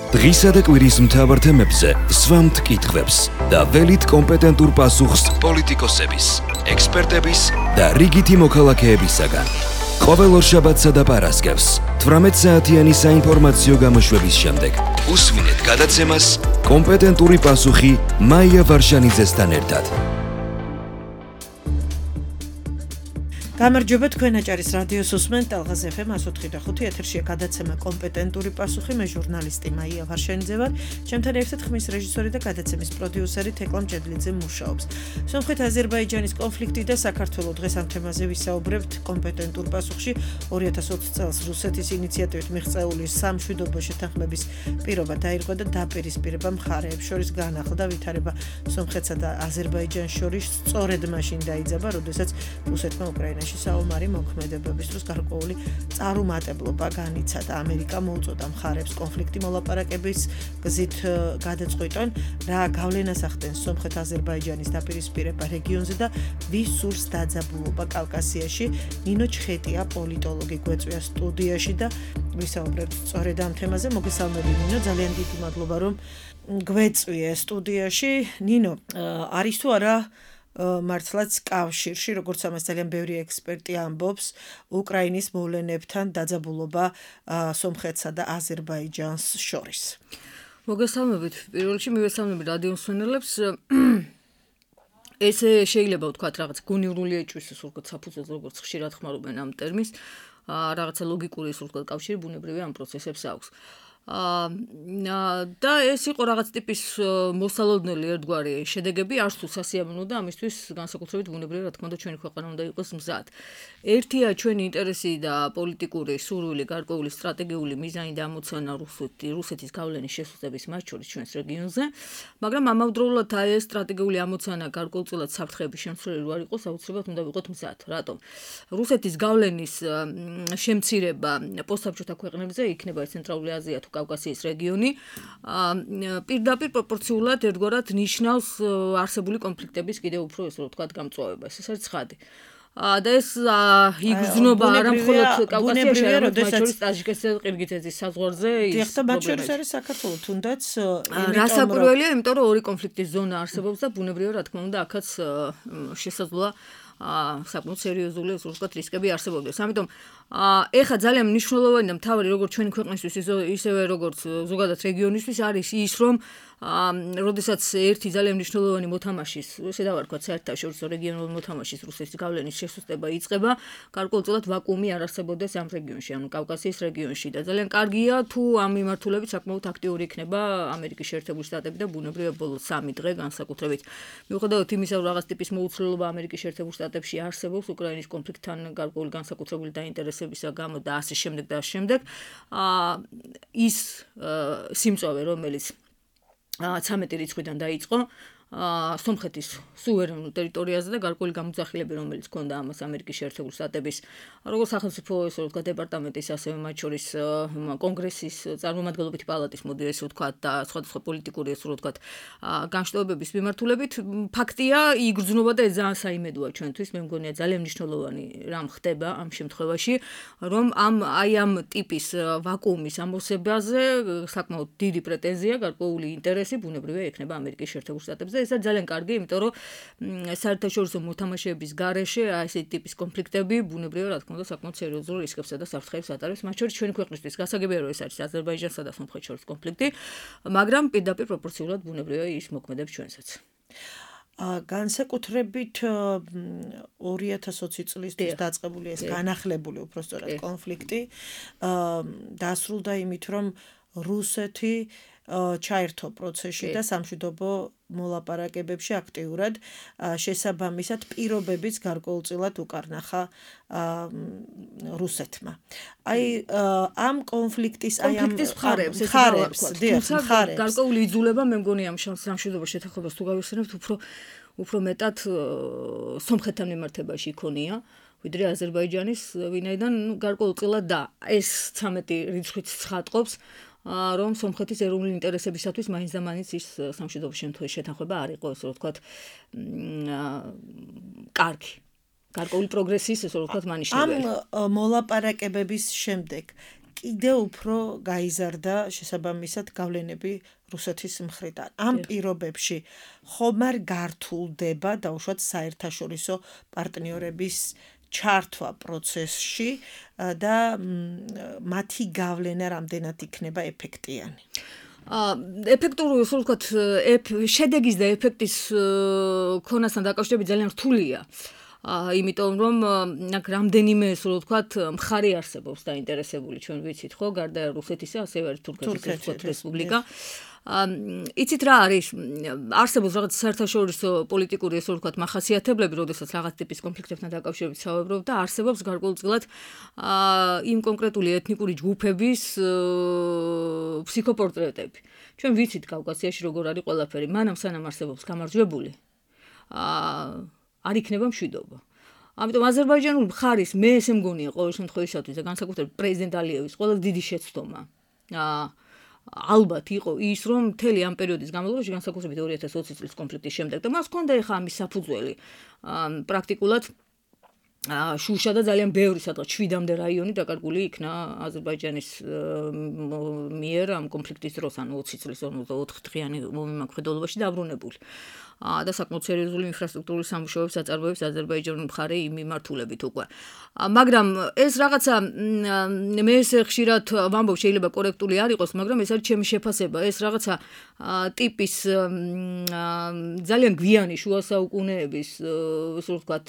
დღისა და კვირის მთავარ თემებზე სვამთ კითხვებს და ველით კომპეტენტურ პასუხს პოლიტიკოსების, ექსპერტების და რიგითი მოქალაქეებისაგან. ყოველ ორშაბათსა და პარასკევს 18 საათიანი საინფორმაციო გამოშვების შემდეგ უსმინეთ გადაცემას კომპეტენტური პასუხი მაია ვარშანიძესთან ერთად. გამარჯობა, თქვენ აჭარის რადიოს უსმენთ ტალღაზ FM 104.5 ეთერშია გადაცემა კომპეტენტური პასუხი. მე ჟურნალისტი მაია ვარშანიძე ვარ. ჩემთან ერთად ხმის რეჟისორი და გადაცემის პროდიუსერი თეკლა მჭედლიძე მუშაობს. სომხეთ აზერბაიჯანის კონფლიქტი და საქართველოს დღეს ამ თემაზე ვისაუბრებთ კომპეტენტურ პასუხში. 2020 წელს რუსეთის ინიციატივით მიღწეული სამშვიდობო შეთანხმების პირობა დაირღვა და დაპირისპირება მხარეებს შორის განახლდა ვითარება სომხეთსა და აზერბაიჯანს შორის სწორედ მაშინ დაიძაბა, როდესაც რუსეთმა უკრაინაში საომარი მოქმედებების დროს გარკვეული წარუმატებლობა განიცადა. ამერიკა მოუწოდა მხარებს კონფლიქტი მოლაპარაკების გზით გადაწყვიტონ, რა გავლენას ახდენს სომხეთ-აზერბაიჯანის დაპირისპირება რეგიონზე და ვის სურს დაძაბულობა კავკასიაში. ნინო ჩხეტია, პოლიტოლოგი, გვეწვია სტუდიაში და ვისაუბრებთ სწორედ ამ თემაზე. მოგესალმები ნინო, ძალიან დიდი მადლობა რომ გვეწვიე სტუდიაში. ნინო, არის თუ არა მართლაც კავშირში, როგორც ამას ძალიან ბევრი ექსპერტი ამბობს, უკრაინის მოვლენებთან დაძაბულობა სომხეთსა და აზერბაიჯანს შორის. მოგესალმებით. პირველ რიგში მივესალმები რადიო მსმენელებს. ესე შეიძლება ვთქვათ, რაღაც გონივრული ეჭვის სულკოთ საფუძველს, როგორც ხშირად ხმარობენ ამ ტერმინს, რაღაცა ლოგიკური სულკოთ კავშირი ბუნებრივი ამ პროცესებს აქვს. და ეს იყო რაღაც ტიპის მოსალოდნელი ერთგვარი შედეგები, არც თუ სასიამოვნო და ამისთვის განსაკუთრებით ბუნებრივი, რა თქმა უნდა, ჩვენი ქვეყანა უნდა იყოს მზად. ერთია ჩვენი ინტერესი და პოლიტიკური სურვილი, გარკვეული სტრატეგიული მიზანი და ამოცანა რუსეთის გავლენის შესუსტების მათ შორის ჩვენს რეგიონზე, მაგრამ ამავდროულად ეს სტრატეგიული ამოცანა გარკვეულწილად საფრთხეების შემცველი რო არ იყოს, აუცილებლად უნდა ვიყოთ მზად. რატომ? რუსეთის გავლენის შემცირება პოსტსაბჭოთა ქვეყნებზე, იქნება ცენტრალური აზია თუ კავკასიის რეგიონი, პირდაპირ პროპორციულად ერთგვარად ნიშნავს არსებული კონფლიქტების კიდევ უფრო ესე რომ ვთქვათ გამწვავებას. ეს არის ცხადი. და ეს იგრძნობა არა მხოლოდ კავკასიაში, არამედ მათ შორის ტაჯიკეთსა და ყირგიზეთის საზღვარზე ის და მათ შორის არის საქართველო თუნდაც. რასაკვირველია, იმიტომ რომ ორი კონფლიქტის ზონა არსებობს და ბუნებრივია, რა თქმა უნდა, აქაც შესაძლოა საკმაოდ სერიოზული ასე ვთქვათ რისკები არსებობდეს. ამიტომ ეხა ძალიან მნიშვნელოვანი და მთავარი როგორც ჩვენი ქვეყნისთვის ისევე როგორც ზოგადად რეგიონისთვის არის ის რომ როდესაც ერთი ძალიან მნიშვნელოვანი მოთამაშის, ესე დავარქვათ, საერთაშორისო რეგიონულ მოთამაშის რუსეთის გავლენის შესუსტება იწყება, გარკვეულწილად ვაკუუმი არ არსებობდეს ამ რეგიონში, ანუ კავკასიის რეგიონში და ძალიან კარგია თუ ამ მიმართულებით საკმაოდ აქტიური იქნება ამერიკის შეერთებული შტატები და ბუნებრივია ბოლო 3 დღე განსაკუთრებით. მიუხედავად იმისა, რომ რაღაც ტიპის მოუცვლელობა ამერიკის შეერთებულ შტატებში არსებობს უკრაინის კონფლიქტთან გარკვეული განსაკუთრებული დაინტერესებისა გამო და ასე შემდეგ და ასე შემდეგ, ის სიმწვავე, რომელიც 13 რიცხვიდან დაიწყო სომხეთის სუვერენულ ტერიტორიაზე და გარკვეული გამოძახილები, რომელიც ჰქონდა ამას ამერიკის შეერთებული შტატების როგორც სახელმწიფო ესე ვთქვათ დეპარტამენტის, ასევე მათ შორის კონგრესის წარმომადგენლობითი პალატის მოდი ესე ვთქვათ და სხვადასხვა პოლიტიკური ესე ვთქვათ განშტოებების მიმართულებით. ფაქტია, იგრძნობა და ეს ძალიან საიმედოა ჩვენთვის. მე მგონია ძალიან მნიშვნელოვანი რამ ხდება ამ შემთხვევაში, რომ ამ ტიპის ვაკუუმის ამოსებაზე საკმაოდ დიდი პრეტენზია, გარკვეული ინტერესი ბუნებრივია ექნება ამერიკის შეერთებულ შტატებს. ეს არის ძალიან კარგი, იმიტომ რომ საერთაშორისო მოთამაშეების გარეშე ასეთი ტიპის კონფლიქტები ბუნებრივია, რა თქმა უნდა, საკმაოდ სერიოზულ რისკებსა და საფრთხეებს ატარებს, მათ შორის ჩვენი ქვეყნისთვის. გასაგებია, რომ ეს არის აზერბაიჯანსა და სომხეთს შორის კონფლიქტი, მაგრამ პირდაპირ პროპორციულად ბუნებრივია ის მოქმედებს ჩვენსაც. განსაკუთრებით 2020 წლისთვის დაწყებული ეს განახლებული უпростоრად კონფლიქტი დასრულდა იმით, რომ რუსეთი ჩაერთო პროცესში და სამშვიდობო მოლაპარაკებებში აქტიურად შესაბამისად პირობებიც გარკვეულწილად უკარნახა რუსეთმა. ამ კონფლიქტის მხარებს გარკვეული იძულება მე მგონი ამ სამშვიდობო შეთანხმებას თუ გავიხსენებთ უფრო მეტად სომხეთთან მიმართებაში იქონია ვიდრე აზერბაიჯანის, ვინაიდან გარკვეულწილად და ეს 13 რიცხვით ცხადყოფს რომ სომხეთის ეროვნული ინტერესებისათვის მაინც და მაინც ის სამშვიდობო შეთანხმება არ იყო, ესე ვთქვათ, კარგი. გარკვეული პროგრესის, ესე ვთქვათ, მანიშნებელი. ამ მოლაპარაკებების შემდეგ კიდევ უფრო გაიზარდა შესაბამისად გავლენები რუსეთის მხრიდან. ამ პირობებში ხომ არ გართულდება დაუშვათ საერთაშორისო პარტნიორების ჩართვა პროცესში და მათი გავლენა რამდენად იქნება ეფექტიანი. ეფექტური, ასე ვთქვათ, შედეგის და ეფექტის ქონასთან დაკავშირებით ძალიან რთულია. იმიტომ რომ რამდენიმე, ასე ვთქვათ, მხარე არსებობს დაინტერესებული, ჩვენ ვიცით, ხო, გარდა რუსეთისა, ასევე არის თურქეთის რესპუბლიკა. იცით რა არის? არსებობს რაღაც საერთაშორისო პოლიტიკური, ასე ვთქვათ, მახასიათებლები, როდესაც რაღაც ტიპის კონფლიქტებთან დაკავშირებით საუბრობ და არსებობს გარკვეულწილად იმ კონკრეტული ეთნიკური ჯგუფების ფსიქოპორტრეტები. ჩვენ ვიცით კავკასიაში როგორ არის ყველაფერი, მანამ სანამ არსებობს გამარჯვებული. არ იქნება მშვიდობა. ამიტომ აზერბაიჯანული მხარის მე ესე მგონია ყოველ შემთხვევაში და განსაკუთრებით პრეზიდენტ ალიევის ყველაზე დიდი შეცდომა ალბათ იყო ის, რომ მთელი ამ პერიოდის განმავლობაში, განსაკუთრებით 2020 წლის კონფლიქტის შემდეგ და მას ჰქონდა ახლა ამის საფუძველი პრაქტიკულად შუშა და ძალიან ბევრი სადღაც 7-მდე რაიონი დაკარგული იქნა აზერბაიჯანის მიერ ამ კონფლიქტის დროს, ანუ 20 წლის 54 დღიანი მომიმაკვედულობაში დაბრუნებული. და საკმაოდ სერიოზული ინფრასტრუქტურული სამუშაოებს აწარმოებს აზერბაიჯანული მხარე იმ მიმართულებით უკვე. მაგრამ ეს რაღაცა მე ესე ხშირად ვამბობ, შეიძლება კორექტული არ იყოს, მაგრამ ეს არის ჩემი შეფასება, ეს რაღაცა ტიპის ძალიან გვიანი შუა საუკუნეების, ასე ვთქვათ,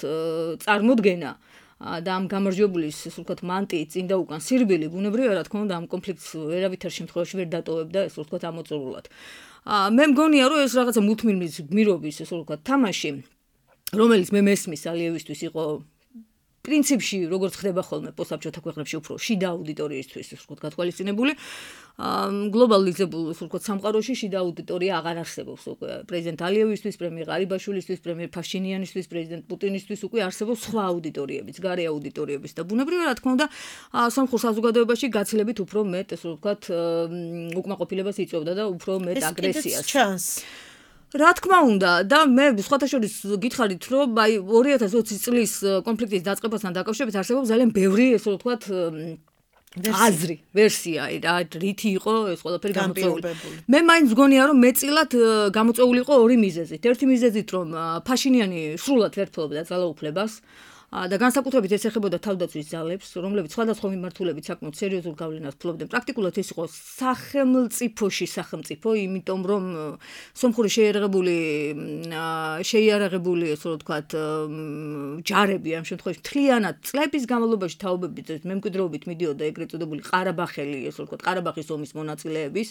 წარმოდგენა და ამ გამარჯვებულის, ასე ვთქვათ, მანტიის წინ და უკან სირბილი ბუნებრივია, რა თქმა უნდა, ამ კონფლიქტს ვერავითარ შემთხვევაში ვერ დატოვებდა, ასე ვთქვათ, ამოწურულად. მე მგონია, რომ ეს რაღაცა მუდმივი გმირობის, ასე ვთქვათ, თამაში, რომელიც მე მესმის ალიევისთვის იყო პრინციპში, როგორც ხდება ხოლმე პოსტსაბჭოთა ქვეყნებში უფრო შიდა აუდიტორიისთვის, ასე ვთქვათ, გათვალისწინებული, გლობალიზებულ, ასე ვთქვათ, სამყაროში შიდა აუდიტორია აღარ არსებობს უკვე. პრეზიდენტ ალიევისთვის, პრემიერ ღარიბაშვილისთვის, პრემიერ ფაშინიანისთვის, პრეზიდენტ პუტინისთვის უკვე არსებობს სხვა აუდიტორიებიც, გარე აუდიტორიებიც და ბუნებრივია, რა თქმა უნდა, სომხურ საზოგადოებაში გაცილებით უფრო მეტ, ასე ვთქვათ, უკმაყოფილებას იწვევდა და უფრო მეტ აგრესიას. რა თქმა უნდა და მე სხვათა შორის გითხარით, რომ აი 2020 წლის კონფლიქტის დაწყებასთან დაკავშირებით არსებობს ძალიან ბევრი, ესე ვთქვათ, აზრი, ვერსია, რითი იყო ეს ყველაფერი გამოწვეული. მე მაინც მგონია, რომ მეტწილად გამოწვეული იყო ორი მიზეზით. ერთი მიზეზით, რომ ფაშინიანი სრულად ვერ ფლობდა ძალაუფლებას და განსაკუთრებით ეს ეხებოდა თავდაცვის ძალებს, რომლებიც სხვადასხვა მიმართულებით საკმაოდ სერიოზულ გავლენას ფლობდნენ. პრაქტიკულად ეს იყო სახელმწიფოში სახელმწიფო, იმიტომ რომ სომხური შეიარაღებული, ასე ვთქვათ, ჯარები ამ შემთხვევაში მთლიანად წლების განმავლობაში თაობებით მემკვიდრეობით მიდიოდა ეგრეთ წოდებული ყარაბახელი, ასე ვთქვათ, ყარაბახის ომის მონაწილეების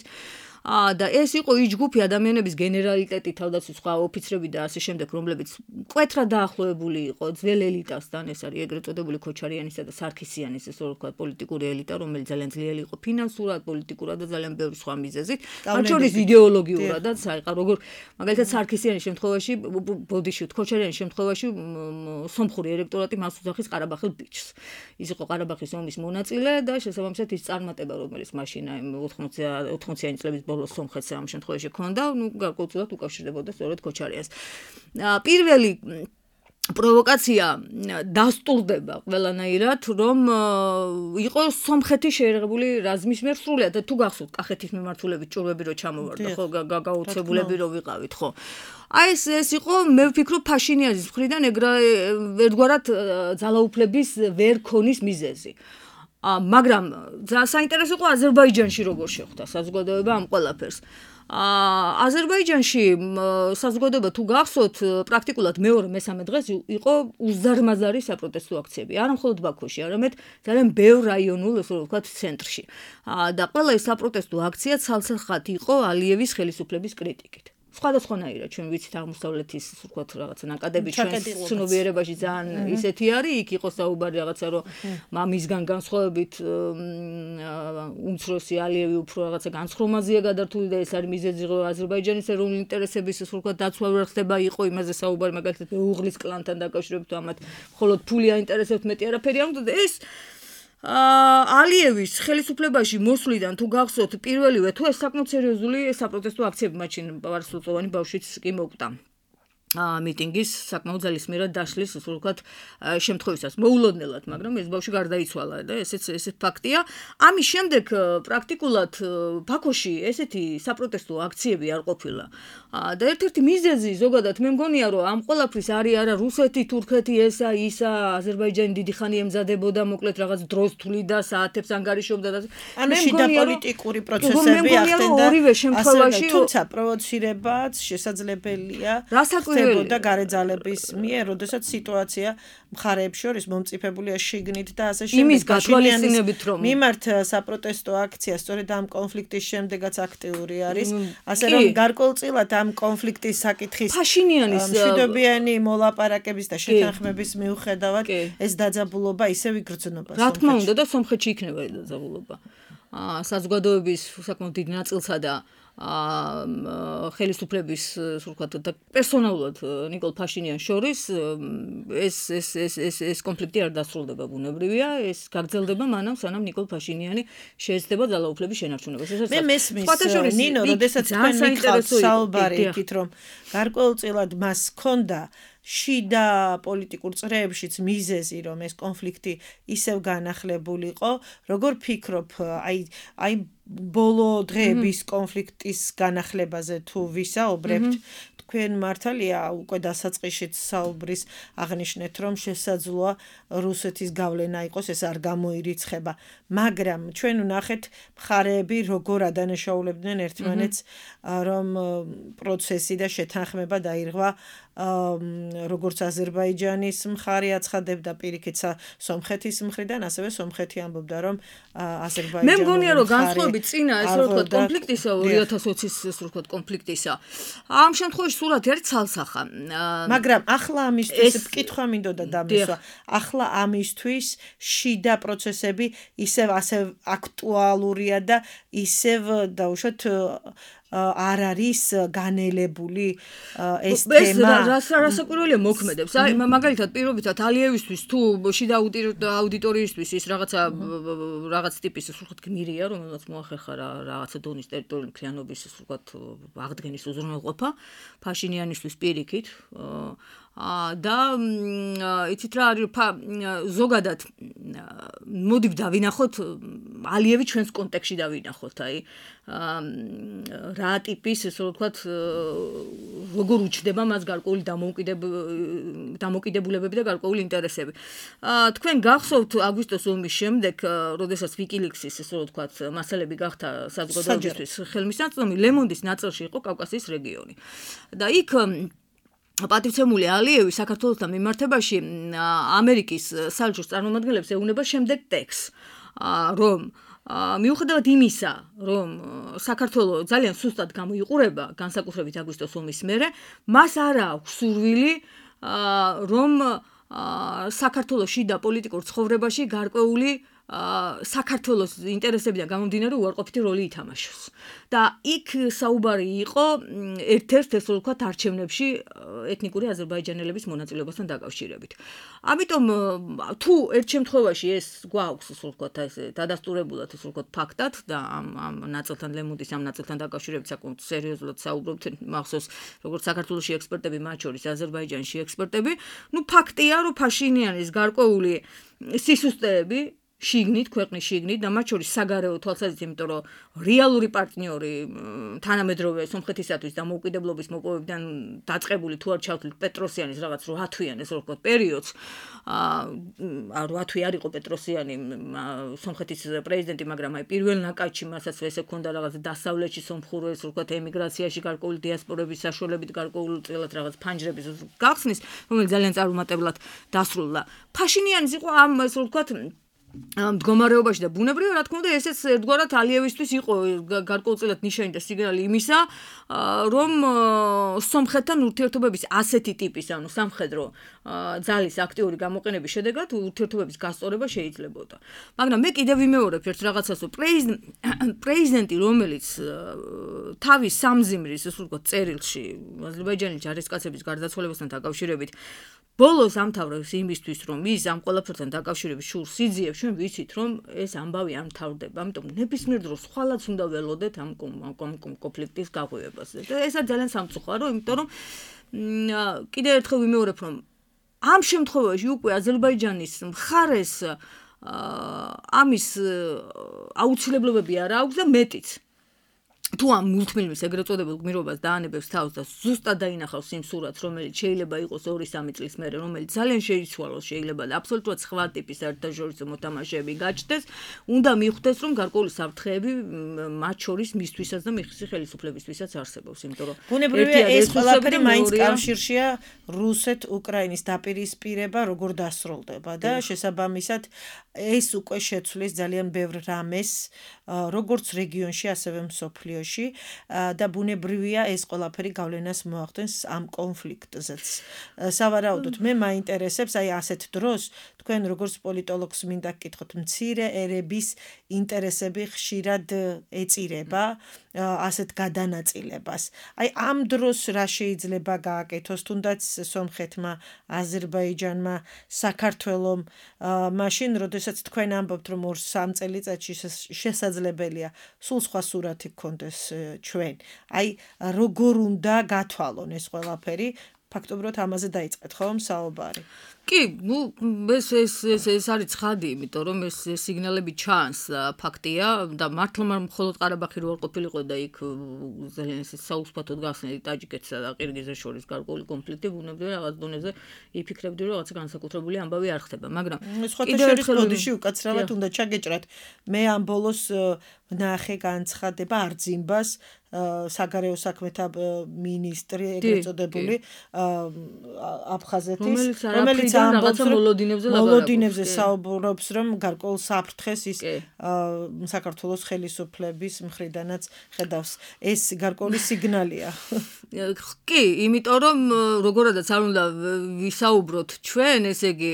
და ეს იყო ის ჯგუფი ადამიანების გენერალიტეტი, თავდაცვის სხვა ოფიცრები და ასე შემდეგ, რომლებიც მკვეთრად დაახლოებული იყო ძველ ელიტასთან, ეს არის ეგრეთ წოდებული ქოჩარიანისა და სარქისიანის, ესე ვთქვათ, პოლიტიკური ელიტა, რომელიც ძალიან ძლიერი იყო ფინანსურად, პოლიტიკურად და ძალიან ბევრი სხვა მიზეზით, მათ შორის იდეოლოგიურადაც, როგორ მაგალითად სარქისიანის შემთხვევაში, ბოდიში ქოჩარიანის შემთხვევაში სომხური ელექტორატი მას უძახის ყარაბახელ ბიჭს. ის იყო ყარაბახის ომის მონაწილე და შესაბამისად ის წარმატება, რომელიც მაშინ 80-იანი წლების ბოლოს სომხეთს ამ შემთხვევაში ჰქონდა, გარკვეულწილად უკავშირდებოდა სწორედ ქოჩარიანს. პირველი პროვოკაცია დასტურდება ყველანაირად, რომ იყო სომხეთის შეიარაღებული რაზმის მიერ სრულად და თუ გახსოვთ კახეთის მიმართულებით ჭურვები რო ჩამოვარდა, ხო, გაუცებულები რო ვიყავით, ხო. აი ეს იყო, მე ვფიქრობ, ფაშინიანის მხრიდან ერთგვარად ძალაუფლების ვერ ქონის მიზეზი. მაგრამ საინტერესო იყო აზერბაიჯანში როგორ შეხვდა საზოგადოება ამ ყველაფერს. აზერბაიჯანში საზოგადოება თუ გახსოვთ, პრაქტიკულად მეორე-მესამე დღეს იყო უზარმაზარი საპროტესტო აქციები. არა მხოლოდ ბაქოში, არამედ ძალიან ბევრ რაიონულ, ასე ვთქვათ, ცენტრში. და ყველა ეს საპროტესტო აქცია ცალსახად იყო ალიევის ხელისუფლების კრიტიკით. სხვადასხვანაირად ჩვენ ვიცით აღმოსავლეთის, ვთქვათ, რაღაცა ნაკადები ჩვენს ცნობიერებაში ძალიან ისეთი არის, იქ იყო საუბარი რაღაცა, რომ მამისგან განსხვავებით უმცროსი ალიევი უფრო რაღაცა განსხრომაზეა გადართული და ეს არის მიზეზი, რომ აზერბაიჯანის ეროვნული ინტერესების, ვთქვათ, დაცვა ვერ ხდება, იყო იმაზე საუბარი, მაგალითად უღლის კლანთან დაკავშირებით, ამათ მხოლოდ ფული აინტერესებთ, მეტი არაფერი არ უნდა და ეს ალიევის ხელისუფლებაში მოსვლიდან თუ გახსოვთ პირველივე თუ ეს საკმაოდ სერიოზული საპროტესტო აქციები მაშინ ვარსკვლავიანი ბავშვიც კი მოკვდა. მიტინგის საკმაოდ ძალისმიერად დაშლის ასე ვთქვათ შემთხვევისას მოულოდნელად, მაგრამ ეს ბავშვი გარდაიცვალა და ესეც ფაქტია. ამის შემდეგ პრაქტიკულად ბაქოში ესეთი საპროტესტო აქციები არ ყოფილა. და ერთ-ერთი მიზეზი ზოგადად მე მგონია, რომ ამ ყველაფრის არის არა რუსეთი, თურქეთი, ესა, ისა, აზერბაიჯანი დიდი ხანი ემზადებოდა, მოკლედ რაღაც დროს თვლიდა, საათებს ანგარიშობდა და ანუ შიდა პოლიტიკური პროცესები ახდენდა. ორივე შემთხვევაში, თუმცა პროვოცირებაც შესაძლებელია. ხდებოდა გარეძალების მიერ, როდესაც სიტუაცია მხარეებს შორის მომწიფებულია შიგნით და ასე შემდეგ. იმის გათვალისწინებით რომ მიმართ საპროტესტო აქცია სწორედ ამ კონფლიქტის შემდეგაც აქტიური არის, ასე რომ გარკვეულწილად ამ კონფლიქტის საკითხის ფაშინიანის მშვიდობიანი მოლაპარაკების და შეთანხმების მიუხედავად ეს დაძაბულობა ისევ იგრძნობა. რა თქმა უნდა და სომხეთში იქნება ეს დაძაბულობა. საზოგადოების საკმაოდ დიდ ნაწილსა და ხელისუფლების ვთქვათ და პერსონალურად ნიკოლ ფაშინიანს შორის ეს კონფლიქტი არ დასრულდება ბუნებრივია, ეს გაგრძელდება მანამ სანამ ნიკოლ ფაშინიანი შეეცდება ძალაუფლების შენარჩუნებას. მე მესმის ნინო, როდესაც თქვენ მიყავთ საუბარი იქით, რომ გარკვეულწილად მას ჰქონდა შიდა პოლიტიკურ წრეებშიც მიზეზი, რომ ეს კონფლიქტი ისევ განახლებულიყო, როგორ ფიქრობ, აი ბოლო დღეების კონფლიქტის განახლებაზე თუ ვისაუბრებთ, თქვენ მართალია უკვე დასაწყისშიც საუბრის აღნიშნეთ, რომ შესაძლოა რუსეთის გავლენა იყოს, ეს არ გამოირიცხება, მაგრამ ჩვენ ვნახეთ მხარეები როგორ ადანაშაულებდნენ ერთმანეთს, რომ პროცესი და შეთანხმება დაირღვა როგორც აზერბაიჯანის მხარე აცხადებდა პირიქით სომხეთის მხრიდან, ასევე სომხეთი ამბობდა, რომ აზერბაიჯანი მე მგონია, რომ განსხვავებით წინა ეს ვთქვათ კონფლიქტისა 2020-ის ეს ვთქვათ კონფლიქტისა. ამ შემთხვევაში სურათი არის ცალსახა. მაგრამ ახლა ამისთვის კითხვა მინდოდა დამისვა. ახლა ამისთვის შიდა პროცესები ისევ ასე აქტუალურია და ისევ დაუშვათ არ არის განელებული ეს თემა. რასაკვირველია მოქმედებს. აი მაგალითად პირობითად ალიევისთვის თუ შიდა აუდიტორიისთვის ის რაღაც ტიპის ვთქვათ გმირია, რომელსაც მოახერხა რაღაცა დონის ტერიტორიული მთლიანობის ვთქვათ აღდგენის უზრუნველყოფა ფაშინიანისთვის პირიქით. და იცით რა არის ზოგადად მოდი დავინახოთ ალიევი ჩვენს კონტექსტში დავინახოთ აი რა ტიპის ესე ვთქვათ როგორ უჩდება მას გარკვეული დამოუკიდებულებები და გარკვეული ინტერესები. თქვენ გახსოვთ აგვისტოს ომის შემდეგ, როდესაც ვიკილიქსის ესე ვთქვათ მასალები გახდა საზოგადოებისთვის ხელმისაწვდომი, ლემონდის ნაწილში იყო კავკასიის რეგიონი. და იქ პატივცემული ალიევი საქართველოსთან მიმართებაში ამერიკის საელჩოს წარმომადგენლებს ეუბნება შემდეგ ტექსტს, რომ მიუხედავად იმისა, რომ საქართველოს ძალიან სუსტად გამოიყურება განსაკუთრებით აგვისტოს ომის მერე, მას არ აქვს სურვილი, რომ საქართველოს შიდა პოლიტიკურ ცხოვრებაში გარკვეული საქართველოს ინტერესებიდან გამომდინარე უარყოფითი როლი ითამაშოს. და იქ საუბარი იყო ერთ-ერთ ესე ვთქვათ არჩევნებში ეთნიკური აზერბაიჯანელების მონაწილეობასთან დაკავშირებით. ამიტომ თუ ერთ შემთხვევაში ეს გვაქვს ესე ვთქვათ ესე დადასტურებულად ესე ვთქვათ ფაქტად და ამ ნაწილთან ლემონდის ამ ნაწილთან დაკავშირებით საკმაოდ სერიოზულად საუბრობთ, მახსოვს როგორც საქართველოში ექსპერტები, მათ შორის აზერბაიჯანში ექსპერტები, ფაქტია, რომ ფაშინიანის გარკვეული სისუსტეები შიგნით, ქვეყნის შიგნით და მათ შორის საგარეო თვალსაზრისით, იმიტომ რომ რეალური პარტნიორი თანამედროვე სომხეთისათვის დამოუკიდებლობის მოპოვებიდან დაწყებული თუ არ ჩავთვლით პეტროსიანის რაღაც 8 თვიან ეს ვთქვათ პერიოდს, 8 თვი არ იყო პეტროსიანი სომხეთის პრეზიდენტი, მაგრამ აი პირველ ნაკადში მასაც ესე ქონდა რაღაც დასავლეთში სომხური ეს ვთქვათ ემიგრაციაში გარკვეული დიასპორების საშუალებით გარკვეული წილად რაღაც ფანჯრების გახსნის, რომელიც ძალიან წარუმატებლად დასრულდა. ფაშინიანის იყო ამ ეს ვთქვათ მდგომარეობაში და ბუნებრივია, რა თქმა უნდა, ესეც ერთგვარად ალიევისთვის იყო გარკვეულწილად ნიშანი და სიგნალი იმისა, რომ სომხეთთან ურთიერთობების ასეთი ტიპის, ანუ სამხედრო ძალის აქტიური გამოყენების შედეგად ურთიერთობების გასწორება შეიძლებოდა. მაგრამ მე კიდევ ვიმეორებ ერთ რაღაცას, რომ პრეზიდენტი, რომელიც თავის სამზიმრის, ასე ვთქვათ, წერილში აზერბაიჯანის ჯარისკაცების გარდაცვალებასთან დაკავშირებით ბოლოს ამთავრებს იმისთვის, რომ ის ამ ყველაფერთან დაკავშირების შურს იძიებს, ჩვენ ვიცით, რომ ეს ამბავი არ მთავრდება. ამიტომ ნებისმიერ დროს ხვალაც უნდა ველოდეთ ამ კონფლიქტის გაღვივებას. და ესაც ძალიან სამწუხარო, იმიტომ რომ კიდევ ერთხელ ვიმეორებ, რომ ამ შემთხვევაში უკვე აზერბაიჯანის მხარეს ამის აუცილებლობები არ აქვს და მეტიც. თუ ამ მულტფილმის ეგრეთ წოდებულ გმირობას დაანებებს თავს და ზუსტად დაინახავს იმ სურათს, რომელიც შეიძლება იყოს 2-3 წლის მერე, რომელიც ძალიან შეიცვალოს, შეიძლება და აბსოლუტურად სხვა ტიპის საერთაშორისო მოთამაშეები გაჩნდეს, უნდა მიხვდეს, რომ გარკვეული საფრთხეები მათ შორის მისთვისაც და მისი ხელისუფლებისთვისაც არსებობს, იმიტომ რომ ბუნებრივია ეს ყველაფერი მაინც კავშირშია რუსეთ-უკრაინის დაპირისპირება როგორ დასრულდება და შესაბამისად ეს უკვე შეცვლის ძალიან ბევრ რამეს, როგორც რეგიონში, ასევე მსოფლიოში და ბუნებრივია ეს ყველაფერი გავლენას მოახდენს ამ კონფლიქტზეც. სავარაუდოდ მე მაინტერესებს აი ასეთ დროს თქვენ როგორც პოლიტოლოგს მინდა გკითხოთ, მცირე ერების ინტერესები ხშირად ეწირება ასეთ გადანაწილებას. აი ამ დროს რა შეიძლება გააკეთოს თუნდაც სომხეთმა, აზერბაიჯანმა, საქართველომ, მაშინ როდესაც თქვენ ამბობთ რომ 2-3 წელიწადში შესაძლებელია სულ სხვა სურათი გქონდეს ჩვენ. აი როგორ უნდა გათვალონ ეს ყველაფერი? ფაქტობრივად ამაზე დაიწყეთ ხომ საუბარი? კი, ეს არის ცხადი, იმიტომ რომ ეს სიგნალები ჩანს, ფაქტია და მართლა მხოლოდ ყარაბაღი რო არ ყოფილიყო და იქ ძალიან ეს საუსπათოდ გახსნილი ტაჯიკეთსა და ყირგიზეთს შორის გარკვეული კონფლიქტი, ბუნებრივია რაღაც დონეზე იფიქრებდი, რომ რაღაცა განსაკუთრებული ამბავი არ ხდება, მაგრამ სხვათა შორის ბოდიში უკაცრავად უნდა ჩაგეჭრათ. მე ამ ბოლოს ვნახე განცხადება არძიმბას საგარეო საქმეთა მინისტრი ეგრეთ წოდებული აფხაზეთის, რომელიც რაღაცა მოლოდინებზე საუბრობს, რომ გარკვეულ საფრთხეს ის საქართველოს ხელისუფლების მხრიდანაც ხედავს. ეს გარკვეული სიგნალია. კი, იმიტომ რომ როგორადაც არ უნდა ვისაუბროთ ჩვენ, ესე იგი,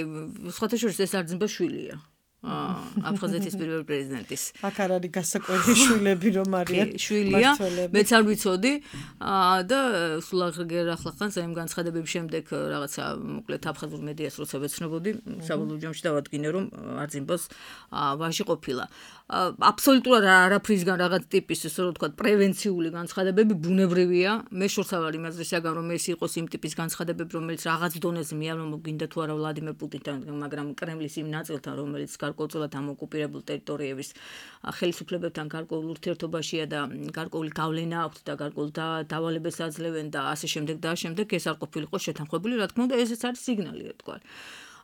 სხვათა შორის ეს არძიმბა შვილია. აფხაზეთის პირველი პრეზიდენტის. აქ არ არის გასაკვირი შვილები რომ არიან. შვილია, მეც არ ვიცოდი და სულ ახლა იმ განცხადებების შემდეგ რაღაცა მოკლედ აფხაზურ მედიას როცა ვეცნობოდი, საბოლოო ჯამში დავადგინე რომ არძიმბას ვაჟი ყოფილა. აბსოლუტურად არაფრისგან რაღაც ტიპის ესე რომ ვთქვათ პრევენციული განცხადებები ბუნებრივია. მე შორს არ ვარ იმაზე საგან რომ ეს იყოს იმ ტიპის განცხადებები, რომელიც რაღაც დონეზე მიამბობინდა თუ არა ვლადიმერ პუტინთან, მაგრამ კრემლის იმ ნაწილთან, რომელიც გარკვეულწილად ამ ოკუპირებულ ტერიტორიების ხელისუფლებებთან გარკვეულ ურთიერთობაშია და გარკვეული გავლენა აქვს და გარკვეულ დავალებას აძლევენ და ასე შემდეგ და შემდეგ ეს არ ყოფილიყო შეთანხმებული, რა თქმა უნდა, ესეც არის სიგნალი, რა თქვა.